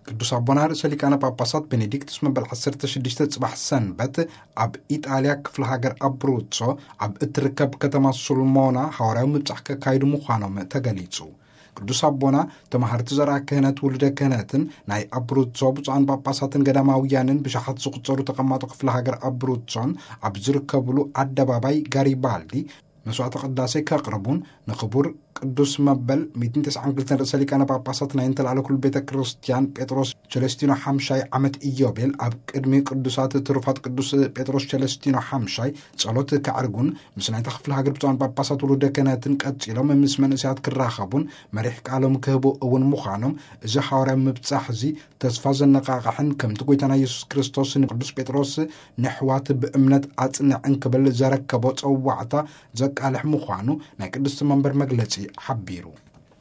ቅዱስ ኣቦና ርእሰ ሊቃነ ጳጳሳት ቤኔዲክቱስ መበል ዓሰርተ ሽዱሽተ ጽባሕ ሰንበት ኣብ ኢጣልያ ክፍለ ሃገር ኣብሩዞ ኣብ እትርከብ ከተማ ሱልሞና ሃዋርያዊ ምብጻሕ ከካይዱ ምዃኖም ተገሊጹ። ቅዱስ ኣቦና ተማሃርቲ ዘርኣ ክህነት ውሉደ ክህነትን ናይ ኣብሩዞ ብፁዓን ጳጳሳትን ገዳማውያንን ብሽሓት ዝቑጸሩ ተቐማጦ ክፍለ ሃገር ኣብሩዞን ኣብ ዝርከብሉ ኣደባባይ ጋሪባልዲ መስዋዕተ ቅዳሴ ከቕርቡን ንክቡር ቅዱስ መበል ሚእትን ተስዓን ክልተን ርእሰ ሊቃነ ጳጳሳት ናይ እንተላዕለ ኩሉ ቤተ ክርስቲያን ጴጥሮስ ቸለስቲኖ ሓምሻይ ዓመት ኢዮቤል ኣብ ቅድሚ ቅዱሳት ትሩፋት ቅዱስ ጴጥሮስ ቸለስቲኖ ሓምሻይ ጸሎት ከዕርጉን ምስ ናይታ ክፍለ ሃገር ብፁዓን ጳጳሳት ውሉደ ክህነትን ቀጺሎም ምስ መንእሰያት ክራኸቡን መሪሕ ቃሎም ክህቡ እውን ምዃኖም እዚ ሃዋርያዊ ምብጻሕ እዚ ተስፋ ዘነቓቕሕን ከምቲ ጎይታና የሱስ ክርስቶስ ንቅዱስ ጴጥሮስ ንሕዋት ብእምነት ኣጽንዕ እንክብል ዘረከቦ ጸዋዕታ ዘቃልሕ ምዃኑ ናይ ቅድስቲ መንበር መግለጺ ሓቢሩ።